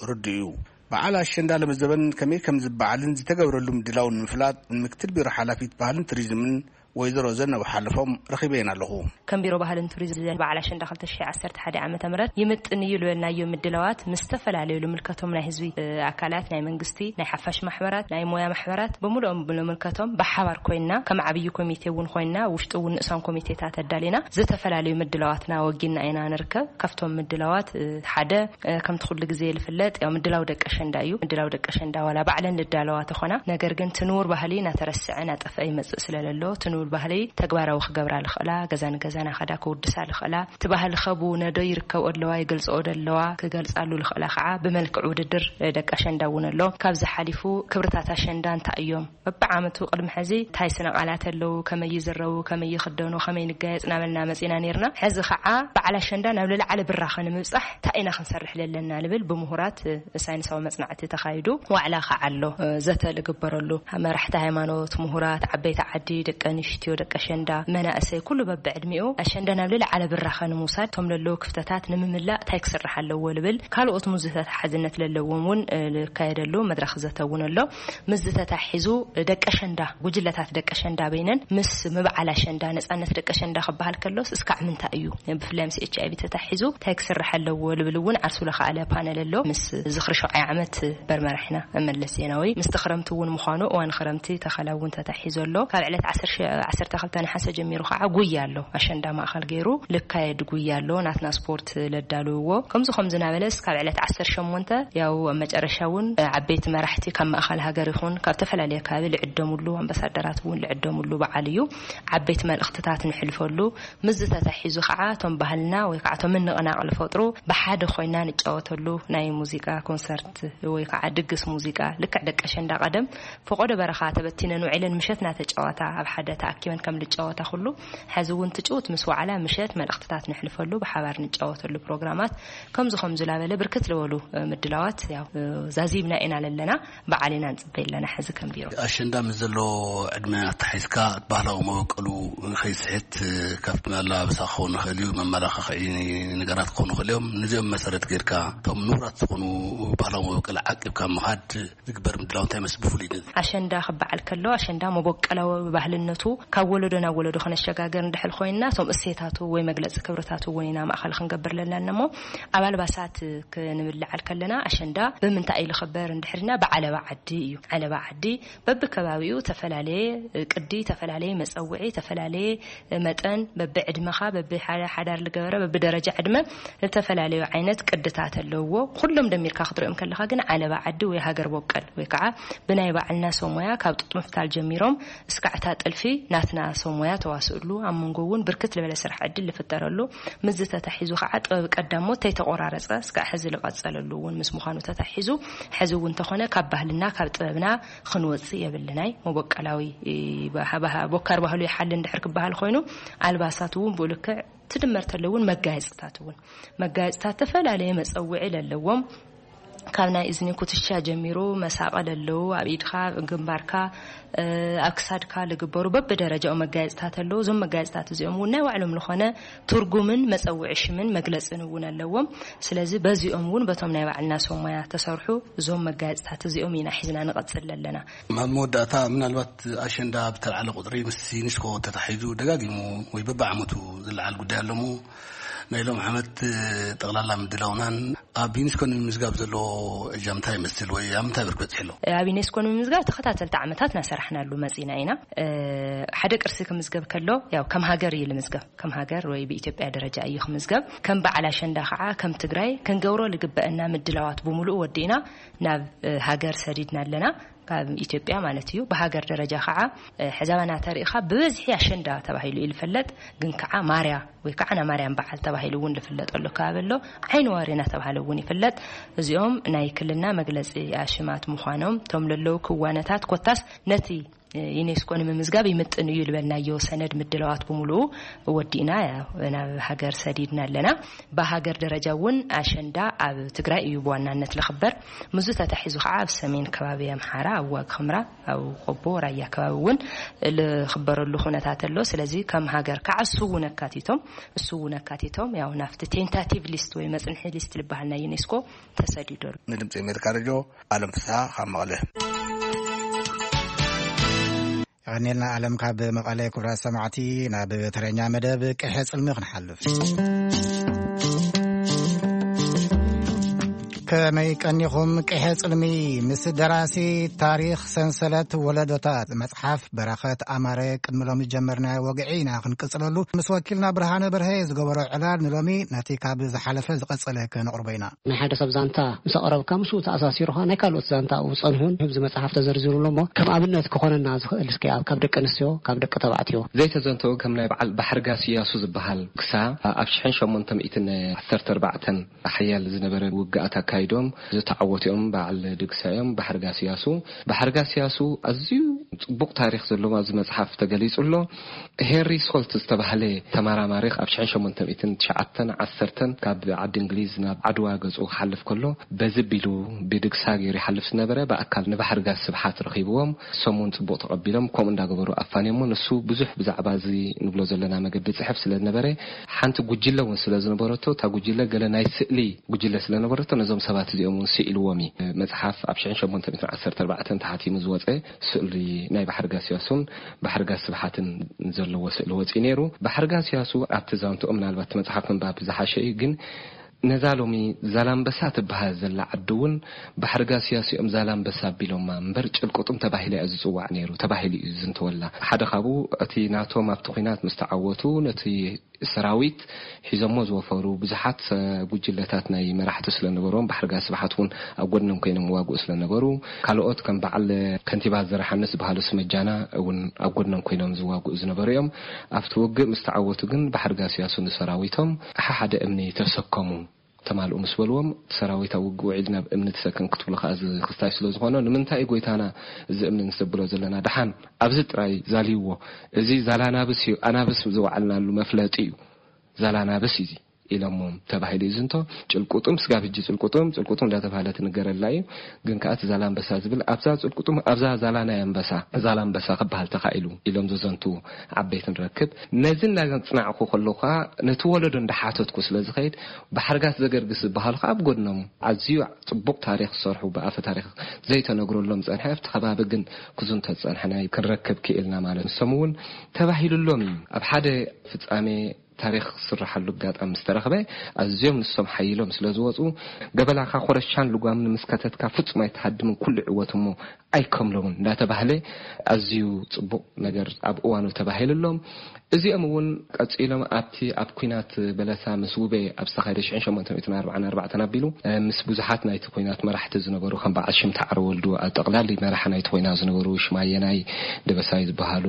ርዱእ እዩ። በዓል ኣሸንዳ ለመዘበን ከመይ ከም ዝበዓልን ዝተገብረሉ ምድላው ንምፍላጥ ንምክትል ቢሮ ሓላፊት ባህልን ቱሪዝምን ወይዘሮ ዘነብ ሓለፎም ረኺበየን ኣለኹ። ከም ቢሮ ባህልን ቱሪዝምን በዓል ኣሸንዳ ክልተ ሽሕን ዓሰርተ ሓደን ዓመተ ምህረት ይምጥን እዩ ዝበልናዮ ምድላዋት ምስ ዝተፈላለዩ ልምልከቶም ናይ ህዝቢ፣ እ፣ ኣካላት፣ ናይ መንግስቲ፣ ናይ ሓፋሽ ማሕበራት፣ ናይ ሞያ ማሕበራት ብምሉኦም ልምልከቶም ብሓባር ኮይና ከም ዓብዪ ኮሚቴ እውን ኮይና ውሽጢ እውን ንእሳን ኮሚቴታት ኣዳሊና ዝተፈላለዩ ምድላዋትና ወጊና ኢና ንርከብ። ካብቶም ምድላዋት፣ እ፣ ሓደ፣ እ፣ ከምቲ ኩሉ ግዜ ዝፍለጥ ያው ምድላው ደቂ ኣሸንዳ እዩ። ምድላው ደቂ ኣሸንዳ ዋላ ባዕለን ልዳለዋ ተኾና፣ ነገር ግን እቲ ንቡር ባህሊ እናተረስዐ እናጠፍአ ይመጽእ ስለ ዘሎ፣ እቲ ንቡር ባህሊ ተግባራዊ ክገብራ ልኽእላ፣ ገዛ ንገዛ እናኸዳ ክውድሳ ልኽእላ፣ እቲ ባህሊ ከቡ ነዶ ይርከብኦ ኣለዋ፣ ይገልጽኦ ደለዋ፣ ክገልጻሉ ልኽእላ ከዓ ብመልክዕ ውድድር ደቂ ኣሸንዳ እውን ኣሎ። ካብዚ ሓሊፉ ክብርታት ኣሸንዳ እንታይ እዮም? በብዓመቱ ቅድሚ ሕዚ እንታይ ስነ ቃላት ኣለዉ፣ ከመይ ይዝረቡ፣ ከመይ ይኽደኑ፣ ከመይ ንጋየጽ እናበልና መጺና ነይርና። ሕዚ ከዓ በዓል ኣሸንዳ ናብ ልዕሊ ዓለ ብራኸ ንምብጻሕ እንታይ ኢና ክንሰርሕ ዘለና ልብል ብምሁራት፣ እ፣ ሳይንሳዊ መጽናዕቲ ተኻይዱ ዋዕላ ከዓ ኣሎ፣ እ፣ ዘተ ልግበረሉ። መራሕቲ ሃይማኖት፣ ምሁራት፣ ዓበይቲ ዓዲ፣ ደቂ ኣንስትዮ፣ ደቂ ኣሸንዳ፣ መናእሰይ፣ ኩሉ በብዕድሚኡ ኣሸንዳ ናብ ልዕሊ ዓለ ብራኸ ንምውሳድ፣ እቶም ለለዉ ክፍተታት ንምምላእ እንታይ ክስራሕ ኣለዎ ልብል፣ ካልኦት ሙዝተታሓዝነት ለለዎም እውን፣ እ፣ ልካየደሉ መድረኽ ዘተ እውን ኣሎ። ምስ ዝተታሒዙ ደቂ ኣሸንዳ፣ ጉጅለታት ደቂ ኣሸንዳ በይነን ምስ ምብዓል ኣሸንዳ፣ ነጻነት ደቂ ኣሸንዳ ክበሃል ከሎስ እስካዕ ምንታይ እዩ? ብፍላይ ምስ ኤች ኣይ ቪ ተታሒዙ እንታይ ክስራሕ ኣለዎ ልብል እውን ዓርሱ ለኸኣለ ፓነል ኣሎ። ምስ ዝኽሪ ሸውዓይ ዓመት በርመራሕና መለስ ዜናዊ፣ ምስቲ ክረምቲ እውን ምዃኑ እዋን ክረምቲ ተኸላ እውን ተታሒዙ ኣሎ። ካብ ዕለት ዓሰርተ፣ ዓሰርተ ክልተ ነሓሰ ጀሚሩ ከዓ ጉያ ኣሎ። ኣሸንዳ ማእኸል ገይሩ ልካየድ ጉያ ኣሎ። ናትና ስፖርት ለዳልውዎ። ከምዚ ከምዚ እናበለስ ካብ ዕለት ዓሰርተ ሸሞንተ ያው ኣብ መጨረሻ እውን ዓበይቲ መራሕቲ ካብ ማእኸል ሃገር ይኹን ካብ ተፈላለየ ከባቢ ልዕደሙሉ፣ ኣምባሳደራት እውን ልዕደሙሉ በዓል እዩ። ዓበይቲ መልእኽትታት ንሕልፈሉ፣ ምስዚ ተታሒዙ ከዓ እቶም ባህልና ወይ ከዓ እቶም ምንቕናቕ ልፈጥሩ ብሓደ ኮይና ንጫወተሉ ናይ ሙዚቃ ኮንሰርት ወይ ከዓ ድግስ ሙዚቃ፣ ልክዕ ደቂ ኣሸንዳ ቀደም ፈቆዶ በረኻ ተበቲነን ውዒለን ምሸት እናተጫወታ ኣብ ሓደ ተኣኪበን ከም ልጫወታ ኩሉ፣ ሕዚ እውን ትጭውት ምስ ዋዕላ ምሸት መልእኽትታት ንሕልፈሉ፣ ብሓባር ንጫወተሉ ፕሮግራማት ከምዚ ከምዚ ላበለ ብርክት ልበሉ፣ እ፣ ምድላዋት ያው፣ እ፣ ዛዚምና ኢና ለለና። በዓል ኢና ንጽበይ ኣለና ሕዚ ከም ቢሮ። ኣሸንዳ ምስ ዘሎ ዕድመ ኣተሓሒዝካ ባህላዊ መበቀሉ ከይስሕት፣ ካብቲ ኣለባብሳ ክኸውን ይኽእል እዩ፣ መመላኻኽዒ ነገራት ክኾኑ ይኽእል እዮም። ነዚኦም መሰረት ጌርካ እቶም ንቡራት ዝኾኑ ባህላዊ መበቀል ዓቂብካ ምኻድ ዝግበር ምድላው እንታይ ይመስል ብፍሉይ ነዚ? ኣሸንዳ ክበዓል ከሎ ኣሸንዳ መበቀላዊ ባህልነቱ ካብ ወለዶ ናብ ወለዶ ከነሸጋገር እንድሕር ኮይንና እቶም እሴታቱ ወይ መግለጺ ክብርታቱ እውን ኢና ማእኸል ክንገብር ለለና እሞ ኣብ ኣልባሳት ክንብል ለዓል ከለና ኣሸንዳ ብምንታይ እዩ ዝኽበር እንድሕርና ብዓለባ ዓዲ እዩ። ዓለባ ዓዲ በብከባቢኡ ተፈላለየ ቅዲ፣ ተፈላለየ መጸውዒ፣ ተፈላለየ መጠን፣ በብዕድመኻ፣ በብሓዳር ልገበረ፣ በብደረጃ ዕድመ ዝተፈላለዩ ዓይነት ቅድታት ኣለውዎ። ኩሎም ደሚርካ ክትሪኦም ከለኻ ግን ዓለባ ዓዲ ወይ ሃገር ቦቀል ወይ ከዓ ብናይ ባዕልና ሰብ ሞያ ካብ ጡጥ ምፍታል ጀሚሮም እስካዕ እታ ጥልፊ ናትና ሰብ ሞያ ተዋስእሉ፣ ኣብ መንጎ እውን ብርክት ዝበለ ስራሕ ዕድል ዝፍጠረሉ፣ ምስዚ ተታሒዙ ከዓ ጥበብ ቀዳሞት ተይተቆራረፀ እስካዕ ሕዚ ዝቐፀለሉ እውን ምስ ምዃኑ ተታሒዙ፣ ሕዚ እውን እንተኾነ ካብ ባህልና ካብ ጥበብና ክንወፅእ የብልናይ። መቦቀላዊ፣ እ፣ ባህ-፣ ባህ-፣ ቦካር ባህሉ ይሓሊ እንድሕር ክበሃል ኮይኑ፣ ኣልባሳት እውን ብኡ ልክዕ ትድመር ተሎ እውን መጋየፅታት እውን፣ መጋየፅታት ተፈላለየ መፀውዒ ለለዎም ካብ ናይ እዝኒ ኩትሻ ጀሚሩ መሳቐል ኣለዉ፣ ኣብ ኢድካ፣ ግንባርካ፣ ኣብ ክሳድካ ዝግበሩ በብደረጃኡ መጋየፅታት ኣለዉ። እዞም መጋየፅታት እዚኦም እውን ናይ ባዕሎም ዝኾነ ትርጉምን መፀውዒ ሽምን መግለፅን እውን ኣለዎም። ስለዚ በዚኦም እውን በቶም ናይ ባዕልና ሰብ ሞያ ተሰርሑ እዞም መጋየፅታት እዚኦም ኢና ሒዝና ንቐፅል ኣለና። ኣብ መወዳእታ ምናልባት ኣሸንዳ ብተልዓለ ቁፅሪ ምስ ዩኒስኮ ተታሒዙ ደጋጊሙ ወይ በብዓመቱ ዝለዓል ጉዳይ ኣለሞ ናይ ሎም ዓመት ጠቕላላ ምድላውናን ኣብ ዩኒስኮ ንምምዝጋብ ዘለዎ እጃምታ ይመስል ወይ ኣብ ምንታይ ብርክ በፂሑ ኣሎ? ኣብ ዩኔስኮ ንምምዝጋብ ተኸታተልቲ ዓመታት እናሰራሕናሉ መፂና ኢና። ሓደ ቅርሲ ክምዝገብ ከሎ ያው ከም ሃገር እዩ ልምዝገብ። ከም ሃገር ወይ ብኢትዮጵያ ደረጃ እዩ ክምዝገብ። ከም በዓል ኣሸንዳ ከዓ ከም ትግራይ ክንገብሮ ልግበአና ምድላዋት ብምሉእ ወዲእና ናብ ሃገር ሰዲድና ኣለና። ካብ ኢትዮጵያ ማለት እዩ። ብሃገር ደረጃ ከዓ ሕዛባና ተሪኢኻ ብበዝሒ ኣሸንዳ ተባሂሉ እዩ ዝፍለጥ። ግን ከዓ ማርያ ወይ ከዓ ናይ ማርያም በዓል ተባሂሉ እውን ዝፍለጠሉ ከባቢ ኣሎ። ዓይኒ ዋሪ እናተባሃለ እውን ይፍለጥ። እዚኦም ናይ ክልልና መግለፂ ኣሽማት ምዃኖም እቶም ለለዉ ክዋነታት ኮታስ ነቲ ዩኔስኮ ንምምዝጋብ ይምጥን እዩ ዝበልናዮ ሰነድ ምድላዋት ብምሉኡ ወዲእና ናብ ሃገር ሰዲድና ኣለና። ብሃገር ደረጃ እውን ኣሸንዳ ኣብ ትግራይ እዩ ብዋናነት ልኽበር። ምዙ ተታሒዙ ከዓ ኣብ ሰሜን ከባቢ ኣምሓራ ኣብ ዋግ ኽምራ ኣብ ቆቦ ራያ ከባቢ እውን ልኽበረሉ ኩነታት ኣሎ። ስለዚ ከም ሃገር ከዓ እሱ እውን ኣካቲቶም እሱ እውን ኣካቲቶም ያው ናብቲ ቴንታቲቭ ሊስት ወይ መፅንሒ ሊስት ልበሃል ናይ ዩኔስኮ ተሰዲዶ ኣሎ። ንድምፂ ኣሜሪካ ሬድዮ ኣለም ፍስሃ ካብ መቐለ። የቐኔልና ኣለም ካብ መቐለ። ክቡራት ሰማዕቲ ናብ ተረኛ መደብ ቅሐ ጽልሚ ክንሓልፍ። ከመይ ቀኒኹም? ቅሐ ጽልሚ ምስ ደራሲ ታሪኽ ሰንሰለት ወለዶታት መጽሓፍ በረኸት ኣማረ ቅድሚ ሎሚ ዝጀመርናዮ ወግዒ ኢና ክንቅጽለሉ። ምስ ወኪልና ብርሃነ በርሀ ዝገበሮ ዕላል ንሎሚ ነቲ ካብ ዝሓለፈ ዝቐጸለ ከነቕርቦ ኢና። ናይ ሓደ ሰብ ዛንታ ምስ ኣቕረብካ ምስኡ ተኣሳሲሩኻ ናይ ካልኦት ዛንታ ኣብኡ ዝጸንሑን ህብዚ መጽሓፍ ተዘርዚሩሉ እሞ ከም ኣብነት ክኾነና ዝኽእል እስኪ ኣብ ካብ ደቂ ኣንስትዮ ካብ ደቂ ተባዕትዮ ዘይተዘንተው ከም ናይ በዓል ባሕርጋስ እያሱ ዝበሃል ክሳ ኣብ ሽሕን ሸሞንተ ሚእትን ዓሰርተ ኣርባዕተን ሓያል ዝነበረ ውግኣት ኣካይዶም ዝተዓወቱ እዮም። በዓል ድግሳ እዮም። ባሕርጋስ እያሱ ባሕርጋስ እያሱ ኣዝዩ ጽቡቕ ታሪኽ ዘለዎ ኣብዚ መጽሓፍ ተገሊጹ ኣሎ። ሄንሪ ሶልት ዝተባህለ ተመራማሪ ኣብ ሽሕን ሸሞንተ ሚእትን ትሽዓተን ዓሰርተን ካብ ዓዲ እንግሊዝ ናብ ዓድዋ ገጹ ክሓልፍ ከሎ በዚ ቢሉ ብድግሳ ገይሩ ይሓልፍ ዝነበረ ብኣካል ንባሕርጋስ ስብሓት ረኺብዎም። እሶም እውን ጽቡቕ ተቐቢሎም ከምኡ እንዳገበሩ ኣፋንዮሞ። ንሱ ብዙሕ ብዛዕባ እዚ ንብሎ ዘለና መገዲ ጽሕፍ ስለ ዝነበረ ሓንቲ ጉጅለ እውን ስለ ዝነበረቶ እታ ጉጅለ ገለ ናይ ስእሊ ጉጅለ ስለ ነበረቶ ነዞም ሰባት እዚኦም እውን ስኢልዎም እዩ። መጽሓፍ ኣብ ሽሕን ሸሞንተ ሚእትን ዓሰርተ ኣርባዕተን ተሓቲሙ ዝወጸ ስእሊ ናይ ባሕርጋስ እያሱን ባሕርጋስ ስብሓትን ዘለዎ ስእሊ ወፂኡ ነይሩ። ባሕርጋስ እያሱ ኣብቲ ዛንትኦም ምናልባት እቲ መፅሓፍ ምንባብ ዝሓሸ እዩ። ግን ነዛ ሎሚ ዛላምበሳ ትበሃል ዘላ ዓዲ እውን ባሕርጋስ እያሱ እዮም ዛላምበሳ ኣቢሎማ እምበር ጭልቁጥም ተባሂላ እያ ዝፅዋዕ ነይሩ ተባሂሉ እዩ ዝዝንተወላ። ሓደ ካብኡ እቲ ናቶም ኣብቲ ኲናት ምስ ተዓወቱ ነቲ ሰራዊት ሒዞሞ ዝወፈሩ ብዙሓት ጉጅለታት ናይ መራሕቲ ስለነበርዎም ባሕርጋስ ስብሓት እውን ኣብ ጎድኖም ኮይኖም ዋግኡ ስለነበሩ ካልኦት ከም በዓል ከንቲባ ዘርሓነ ዝበሃሉ ስመጃና እውን ኣብ ጎድኖም ኮይኖም ዝዋግኡ ዝነበሩ እዮም። ኣብቲ ውግእ ምስ ተዓወቱ ግን ባሕርጋስ እያሱ ንሰራዊቶም ሓደ ሓደ እምኒ ተሰከሙ ተማልኡ ምስ በልዎም እቲ ሰራዊት ኣብ ውግእ ውዒሉ ናብ እምኒ ተሰከም ክትብሉ ከዓ እዚ ክስታይ ስለ ዝኾነ ንምንታይ እዩ ጎይታና እዚ እምኒ ንሰብሎ ዘለና ደሓን ኣብዚ ጥራይ ዛልይዎ። እዚ ዛላናብስ እዩ ኣናብስ ዝወዓልናሉ መፍለጢ እዩ። ዛላናብስ እዩ ኢሎሞም ተባሂሉ እዩ ዝንቶ። ጭልቁጥም ስጋብ ሕጂ ጭልቁጥም ጭልቁጥም እንዳተባህለ ትንገረላ እዩ። ግን ከዓ እቲ ዛላንበሳ ዝብል ኣብዛ ጭልቁጥም ኣብዛ ዛላ ናይ ኣንበሳ ዛላንበሳ ክበሃል ተኻኢሉ ኢሎም ዘዘንቱ ዓበይቲ ንረክብ። ነዚ እንዳፅናዕኩ ከለኹ ከዓ ነቲ ወለዶ እንዳሓተትኩ ስለ ዝኸይድ ባሕርጋስ ዘገርግስ ዝበሃሉ ከዓ ኣብ ጎድኖም ኣዝዩ ፅቡቕ ታሪኽ ዝሰርሑ ብኣፈ ታሪኽ ዘይተነግረሎም ፀንሐ ኣብቲ ከባቢ ግን ክዝንቶ ዝፀንሐ ናይ ክንረክብ ክኢልና ማለት ንሶም እውን ተባሂሉሎም እዩ ኣብ ሓደ ፍፃሜ ታሪኽ ዝስረሓሉ ኣጋጣሚ ምስ ተረኽበ ኣዝዮም ንሶም ሓይሎም ስለ ዝወፁ ገበላኻ ኮረሻን ልጓምን ምስ ከተትካ ፍፁም ኣይትሃድምን ኩሉ ይዕወት እሞ ኣይከምሎምን እንዳተባህለ ኣዝዩ ፅቡቕ ነገር ኣብ እዋኑ ተባሂሉሎም። እዚኦም እውን ቀፂሎም ኣብቲ ኣብ ኲናት በለሳ ምስ ውቤ ኣብ ዝተኻየደ ሽሕን ሸሞንተ ሚእትን ኣርባዓን ኣርባዕተን ኣቢሉ ምስ ብዙሓት ናይቲ ኲናት መራሕቲ ዝነበሩ ከም በዓል ሽምታ ዓረወልዱ ኣብ ጠቕላሊ መራሒ ናይቲ ኲናት ዝነበሩ ሽማየናይ ደበሳይ ዝበሃሉ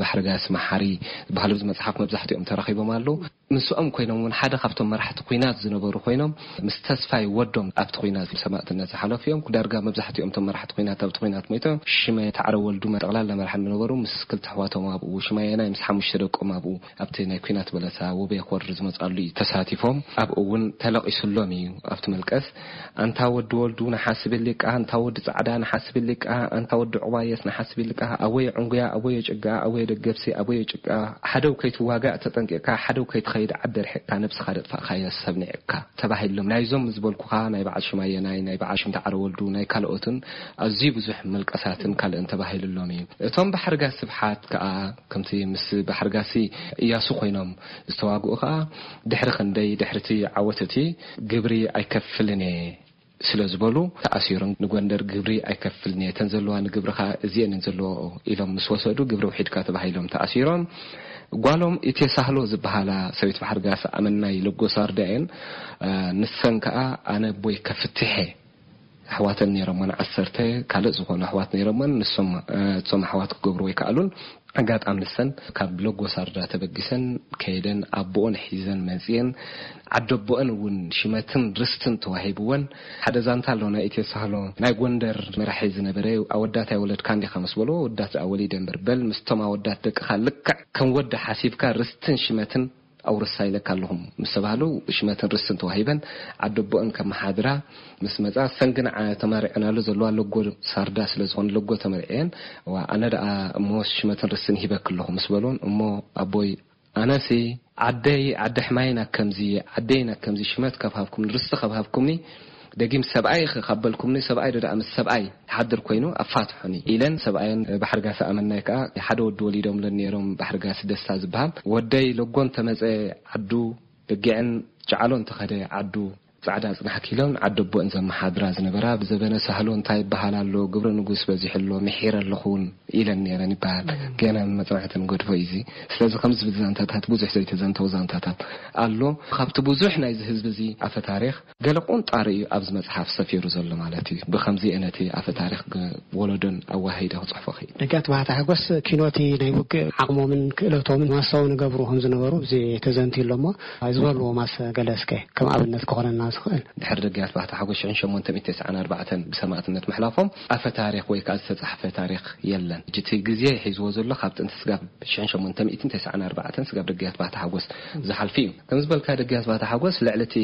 ባሕርጋስ መሓሪ ዝበሃሉ ኣብዚ መፅሓፍ መብዛሕትኦም ተረኺቦም ኣለዉ። ምስኦም ኮይኖም እውን ሓደ ካብቶም መራሕቲ ኩናት ዝነበሩ ኮይኖም ምስ ተስፋይ ወዶም ኣብቲ ኩናት ሰማእትነት ዝሓለፉ እዮም። ዳርጋ መብዛሕትኦም እቶም መራሕቲ ኩናት ኣብቲ ኩናት ሞይቶም። ሽመ ተዓረ ወልዱ ጠቕላላ መራሕቲ ዝነበሩ ምስ ክልተ ኣሕዋቶም ኣብኡ፣ ሽማየናይ ምስ ሓሙሽተ ደቆም ኣብኡ ኣብቲ ናይ ኩናት በለሳ ውቤ ክወርድ ዝመጻሉ እዩ ተሳቲፎም። ኣብኡ እውን ተለቒሱሎም እዩ ኣብቲ መልቀስ። ኣንታ ወዲ ወልዱ ንሓስብ ሊቃ፣ ኣንታ ወዲ ጻዕዳ ንሓስብ ሊቃ፣ ኣንታ ወዲ ዕባየስ ንሓስብ ሊቃ፣ ኣወየ ዕንጉያ፣ ኣወየ ጭጋ፣ ኣወየ ደገብሲ፣ ኣወየ ጭቃ፣ ሓደው ከይትዋጋእ ተጠንቂቕካ፣ ሓደው ከይትኸይድ ዓዲ ርሒቕካ፣ ነብስኻ ደጥፋእካያ ሰብ ንዒቕካ ተባሂሎም። ናይዞም ዝበልኩኻ ናይ በዓል ሽማየናይ፣ ናይ በዓል ሽምታ ዓረ ወልዱ፣ ናይ ካልኦትን ኣዝዩ ብዙሕ መልቀሳትን ካልእን ተባሂሉሎም እዩ። እቶም ባሕርጋ ስብሓት ከኣ ከምቲ ምስ ባሕርጋሲ እያሱ ኮይኖም ዝተዋግኡ ከኣ ድሕሪ ክንደይ ድሕርቲ ዓወት እቲ ግብሪ ኣይከፍልን እየ ስለ ዝበሉ ተኣሲሮም ንጎንደር ግብሪ ኣይከፍልን እየ፣ እተን ዘለዋ ንግብሪ ከኣ እዚአን እየን ዘለዎ ኢሎም ምስ ወሰዱ ግብሪ ውሒድካ ተባሂሎም ተኣሲሮም። ጓሎም ኢቴሳህሎ ዝበሃላ ሰበይቲ ባሕርጋስ ኣመናይ ለጎሳርዳ እየን። ንሰን ከኣ ኣነ ኣቦይ ከፍትሐ ኣሕዋተን ነይሮመን ዓሰርተ ካልእ ዝኾኑ ኣሕዋት ነይሮመን። ንሶም እቶም ኣሕዋት ክገብሩ ኣይከኣሉን። ኣጋጣሚ ንሰን ካብ ለጎሳርዳ ተበጊሰን ከይደን ኣቦኦን ሒዘን መጽየን። ዓደቦአን እውን ሽመትን ርስትን ተዋሂብወን። ሓደ ዛንታ ኣሎ ናይ ኢትዮ ሳህሎ ናይ ጎንደር መራሒ ዝነበረ፣ ኣወዳት ኣይወለድካን ዲኻ ምስ በልዎ፣ ኣወዳት ደኣ ወሊደ እምበር፣ በል ምስቶም ኣወዳት ደቅኻ ልክዕ ከም ወዲ ሓሲብካ ርስትን ሽመትን ኣውርሳ ኢለካ ኣለኹም ምስ ተባህሉ፣ ሽመትን ርስትን ተዋሂበን ዓደቦአን ከመሓድራ ምስ መጻ፣ ሰን ግን ዓ-፣ ተመሪዐናሉ ዘለዋ ለጎ ሳርዳ ስለ ዝኾነ ለጎ ተመሪዐን። ዋ፣ ኣነ ደኣ እሞ ሽመትን ርስትን ሂበክ ኣለኹ ምስ በልዎን፣ እሞ ኣቦይ ኣነሲ ዓደይ ዓዲ ሕማይን ኣከምዚ፣ ዓደይን ኣከምዚ ሽመት ካብ ሃብኩምኒ፣ ርስቲ ካብ ሃብኩምኒ፣ ደጊም ሰብኣይ ኸ-፣ ካብ በልኩምኒ፣ ሰብኣይ ዶ ደኣ ምስ ሰብኣይ ይሓድር ኮይኑ ኣፋትሑኒ ኢለን ሰብኣየን ባሕርጋሲ ኣመናይ ከኣ ሓደ ወዲ ወሊዶምለን ነይሮም፣ ባሕርጋሲ ደስታ ዝበሃል። ወደይ ለጎን ተመጸ ዓዱ፣ በጊዕን ጨዓሎን ተኸደ ዓዱ፣ ጻዕዳ ጽናሕ ኪሎን ዓደቦእን ዘመሓድራ ዝነበራ፣ ብዘበነ ሳህሎ እንታይ ይበሃል ኣሎ፣ ግብረ ንጉስ በዚሑ ኣሎ፣ ምሒረ ኣለኹ እውን ኢለን ነይረን ይበሃል። ገና መጽናዕቲ ንገድፎ እዩ እዚ። ስለዚ ከምዚ ዝብል ዛንታታት፣ ብዙሕ ዘይተዘንተው ዛንታታት ኣሎ። ካብቲ ብዙሕ ናይዚ ህዝቢ እዚ ኣፈ ታሪኽ ገለ ቁንጣሪ እዩ ኣብዚ መጽሓፍ ሰፊሩ ዘሎ ማለት እዩ። ብኸምዚ እየ ነቲ ኣፈ ታሪኽ ግ-፣ ወለዶን ኣወሃሂደ ክጽሕፎ ክእል። ደጋት ባህታ ሓጎስ ኪኖቲ ናይ ውግእ ዓቕሞምን ክእለቶምን ማሳዊ ንገብሩ ከም ዝነበሩ እዚ ተዘንትዩ ኣሎ እሞ ዝበልዎ ማስ ገለ እስከ ከም ኣብነት ክኾነና ዝኽእል። ድሕሪ ደጋት ባህታ ሓጎስ ሽሕን ሸሞንተ ሚእትን ተስዓን ኣርባዕተን ብሰማእትነት ምሕላፎም ኣፈ ታሪኽ ወይ ከኣ ዝተጻሕፈ ታሪኽ የለን። ሕጂ እቲ ግዜ ሒዝዎ ዘሎ ካብ ጥንቲ ስጋብ ሽሕን ሸሞንተ ሚእትን ተስዓን ኣርባዕተን ስጋብ ደጋት ባህታ ሓጎስ ዝሓልፍ እዩ። ከም ዝበልካ ደጋት ባህታ ሓጎስ ልዕሊ እቲ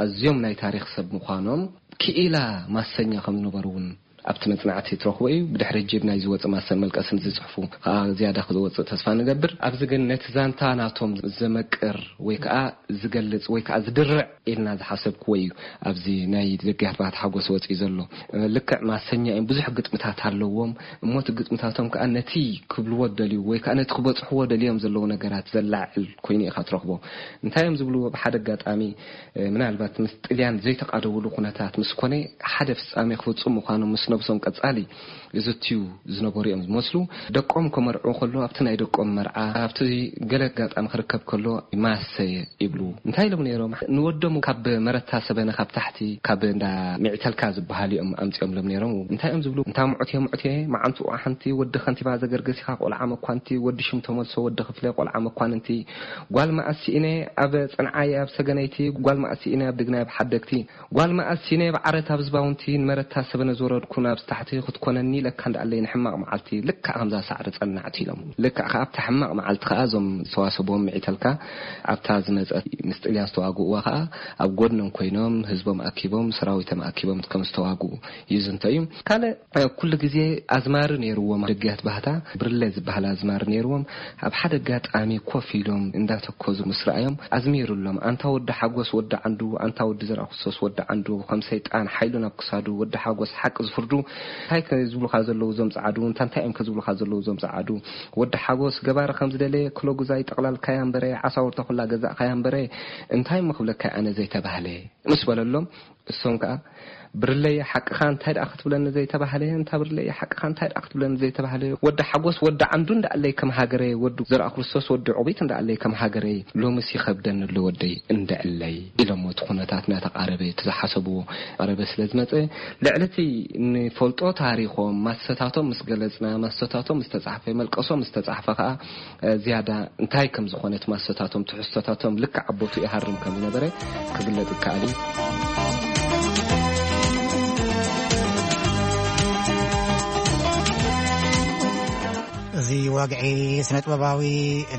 ኣዝዮም ናይ ታሪኽ ሰብ ምዃኖም ክኢላ ማሰኛ ከም ዝነበሩ እውን ኣብቲ መጽናዕቲ ትረኽቦ እዩ። ብድሕሪ ጅብ ናይ ዝወጽእ ማሰን መልቀስን ዝጽሕፉ ከኣ ዝያዳ ክወጽእ ተስፋ ንገብር። ኣብዚ ግን ነቲ ዛንታ ናቶም ዘመቅር ወይ ከኣ ዝገልጽ ወይ ከኣ ዝድርዕ ኢልና ዝሓሰብክዎ እዩ ኣብዚ ናይ ደጋት ባህታ ሓጎስ ወጺኡ ዘሎ። ልክዕ ማሰኛ እዮም፣ ብዙሕ ግጥምታት ኣለዎም። እሞ እቲ ግጥምታቶም ከኣ ነቲ ክብልዎ ደልዩ ወይ ከኣ ነቲ ክበጽሕዎ ደልዮም ዘለዉ ነገራት ዘላዕል ኮይኑ ኢኻ ትረኽቦ። እንታይ እዮም ዝብልዎ? ብሓደ ኣጋጣሚ፣ እ፣ ምናልባት ምስ ጥልያን ዘይተቓደውሉ ኩነታት ምስ ኮነ፣ ሓደ ፍጻሜ ክፍጽሙ ምዃኖም ምስ ነብሶም ቀጻሊ ዝዝትዩ ዝነበሩ እዮም ዝመስሉ። ደቆም ከመርዕዉ ከሎ፣ ኣብቲ ናይ ደቆም መርዓ፣ ኣብቲ ገለ ኣጋጣሚ ክርከብ ከሎ፣ ማሰየ ይብሉ። እንታይ ኢሎም ነይሮም? ንወዶም ካብ መረታ ሰበነ ካብ ታሕቲ፣ ካብ እንዳ ሚዕተልካ ዝበሃል እዮም ኣምጺኦምሎም ነይሮም። እንታይ እዮም ዝብሉ? እንታ ምዑት እየ፣ ምዑት እየ፣ መዓንትኡ ሓንቲ ወዲ ከንቲባ ዘገርገስ ኢኻ፣ ቆልዓ መኳንቲ፣ ወዲ ሽም ተመልሶ፣ ወዲ ክፍለ፣ ቆልዓ መኳንንቲ፣ ጓል መኣስ ስኢነ ኣብ ጽንዓይ ኣብ ሰገነይቲ፣ ጓል መኣስ ስኢነ ኣብ ድግናይ ኣብ ሓደግቲ፣ ጓል መኣስ ስኢነ ኣብ ዓረት ኣብ ዝባውንቲ፣ ንመረታ ሰበነ ዝወረድኩ ናብዚ ታሕቲ ክትኮነኒ ኢለካ እንዳኣለይ ንሕማቕ መዓልቲ ልክዕ ከምዛ ሳዕሪ ጸናዕቲ ኢሎም። ልክዕ ከኣ ኣብታ ሕማቕ መዓልቲ ከኣ እዞም ዝተዋሰብዎም ምዒተልካ ኣብታ ዝመጸት ምስ ጥልያን ዝተዋግእዋ ከኣ ኣብ ጎድኖም ኮይኖም ህዝቦም ኣኪቦም ሰራዊቶም ኣኪቦም ከም ዝተዋግኡ ይዝንቶ እዩ። ካልእ ኩሉ ግዜ ኣዝማሪ ነይርዎም ደገያት ባህታ፣ ብርለ ዝበሃል ኣዝማሪ ነይርዎም። ኣብ ሓደ ኣጋጣሚ ኮፍ ኢሎም እንዳተኮዙ ምስ ረኣዮም ኣዝሚሩሎም፣ ኣንታ ወዲ ሓጎስ ወዲ ዓንዱ፣ ኣንታ ወዲ ዘርኣክርስቶስ ወዲ ዓንዱ፣ ከም ሰይጣን ሓይሉ ናብ ክሳዱ፣ ወዲ ሓጎስ ሓቂ ዝፍርዱ፣ እንታይ ከ ዝብሉኻ ዘለዉ እዞም ጸዓዱ፣ እንታ እንታይ እዮም ከ ዝብሉኻ ዘለዉ እዞም ጸዓዱ፣ ወዲ ሓጎስ ገባሪ ከም ዝደለየ ክሎጉዛይ ጠቕላልካያ እምበረ፣ ዓሳውርታ ኩላ ገዛእካያ እምበረ፣ እንታይ እሞ ክብለካ ኣነ ዘይተባህለ፣ ምስ በለሎም፣ እሶም ከኣ ብርለይ ሓቅኻ እንታይ ደኣ ክትብለኒ ዘይተባህለ፣ እንታ ብርለይ ሓቅኻ እንታይ ደኣ ክትብለኒ ዘይተባህለ፣ ወዲ ሓጎስ ወዲ ዓንዱ እንዳኣለይ ከም ሃገረይ፣ ወዲ ዘርኣ ክርስቶስ ወዲ ዑቢት እንዳኣለይ ከም ሃገረይ፣ ሎምስ ይኸብደኒ ኣሎ ወደይ እንደዕለይ ኢሎሞ። እቲ ኩነታት እናተቓረበ፣ እቲ ዝሓሰብዎ ቀረበ ስለ ዝመጸ፣ ልዕሊ እቲ ንፈልጦ ታሪኾም፣ ማሰታቶም ምስ ገለጽና፣ ማሰታቶም ምስ ተጻሕፈ፣ መልቀሶም ምስ ተጻሕፈ ከኣ፣ እ፣ ዝያዳ እንታይ ከም ዝኾነ እቲ ማሰታቶም፣ ትሕዝቶታቶም ልክዕ ኣብ ቦትኡ ይሃርም ከም ዝነበረ ክግለጽ ይከኣል እዩ። እዚ ወግዒ ስነ-ጥበባዊ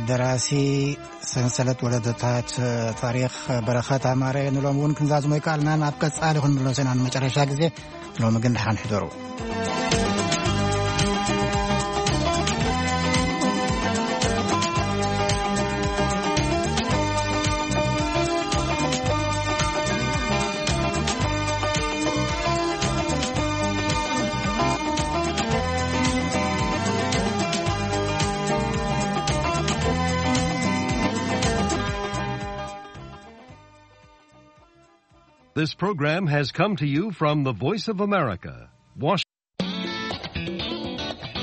ደራሲ ሰንሰለት ወለዶታት ታሪኽ በረኸት ኣማረ ንሎም እውን ክንዛዝሞ ኣይከኣልናን። ኣብ ቀጻሊ ክንምለሶ ኢና ንመጨረሻ ግዜ። ሎሚ ግን ደሓን ሕደሩ። This program has come to you from the Voice of America, Washington.